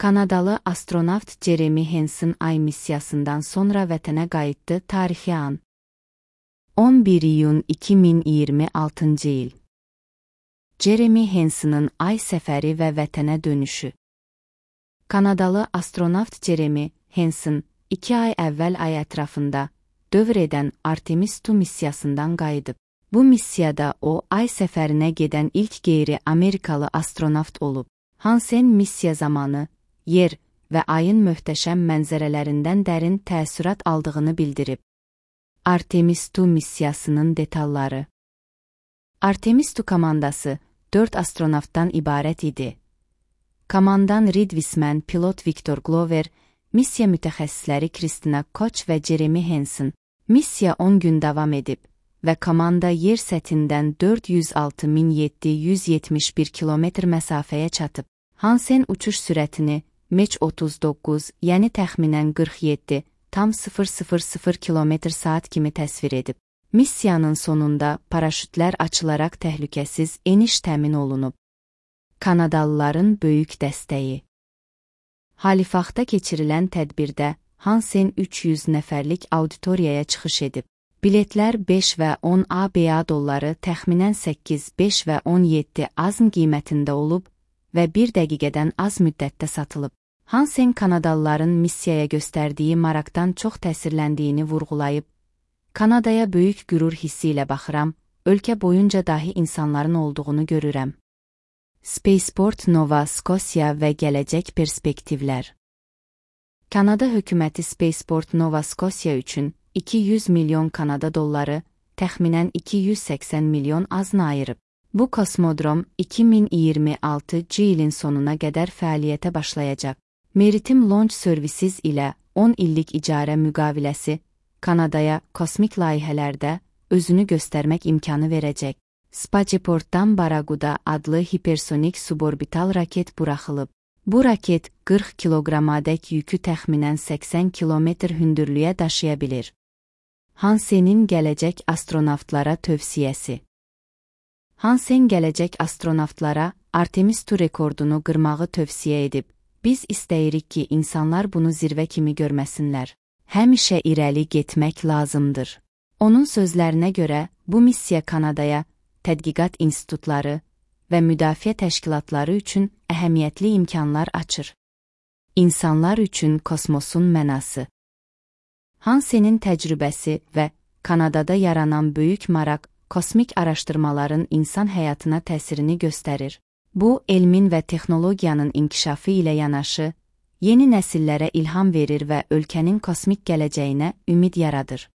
Kanadalı astronavt Jeremy Hansen Ay missiyasından sonra vətənə qayıtdı. Tarixi an 11 iyun 2026 il. Jeremy Hansen'ın Ay səfəri və vətənə dönüşü. Kanadalı astronavt Jeremy Hansen 2 ay əvvəl Ay ətrafında dövr edən Artemis II missiyasından qayıdıb. Bu missiyada o, Ay səfərinə gedən ilk qeyri-Amerikalı astronavt olub. Hansen missiya zamanı Yer və Ayın möhtəşəm mənzərələrindən dərin təəssürat aldığını bildirib. Artemis II missiyasının detalları. Artemis II komandası 4 astronavtdan ibarət idi. Komandan Reed Wiseman, pilot Victor Glover, missiya mütəxəssisləri Kristina Koch və Jeremy Hansen. Missiya 10 gün davam edib və komanda yer səthindən 406.771 kilometr məsafəyə çatıb. Hansen uçuş sürətini Mach 39, yəni təxminən 47,000 km/saat kimi təsvir edib. Missiyanın sonunda paraşütlər açılaraq təhlükəsiz eniş təmin olunub. Kanadalıların böyük dəstəyi. Halifaxda keçirilən tədbirdə Hansen 300 nəfərlik auditoriyaya çıxış edib. Biletlər 5 və 10 ABA dolları təxminən 8, 5 və 17 AZN qiymətində olub və 1 dəqiqədən az müddətdə satılıb. Hansen Kanadalıların missiyaya göstərdiyi maraqdan çox təsirləndiyini vurğulayıb, Kanadaya böyük qürur hissi ilə baxıram, ölkə boyunca dahi insanların olduğunu görürəm. Spaceport Nova Scotia və gələcək perspektivlər. Kanada hökuməti Spaceport Nova Scotia üçün 200 milyon Kanada dolları, təxminən 280 milyon AZN ayırıb. Bu kosmodrom 2026 ilin sonuna qədər fəaliyyətə başlayacaq. Maritime Launch Services ilə 10 illik icarə müqaviləsi Kanadaya kosmik layihələrdə özünü göstərmək imkanı verəcək. Spaceportdan Baraguda adlı hipersonik suborbital raket buraxılıb. Bu raket 40 kiloqramadək yükü təxminən 80 kilometr hündürlüyə daşıya bilir. Hansen'in gələcək astronavtlara tövsiyəsi. Hansen gələcək astronavtlara Artemis II rekordunu qırmağı tövsiyə edib. Biz istəyirik ki, insanlar bunu zirvə kimi görməsinlər. Həmişə irəli getmək lazımdır. Onun sözlərinə görə, bu missiya Kanadaya, tədqiqat institutları və müdafiə təşkilatları üçün əhəmiyyətli imkanlar açır. İnsanlar üçün kosmosun mənası. Hansen'in təcrübəsi və Kanadada yaranan böyük maraq, kosmik araşdırmaların insan həyatına təsirini göstərir. Bu, elmin və texnologiyanın inkişafı ilə yanaşı, yeni nəsillərə ilham verir və ölkənin kosmik gələcəyinə ümid yaradır.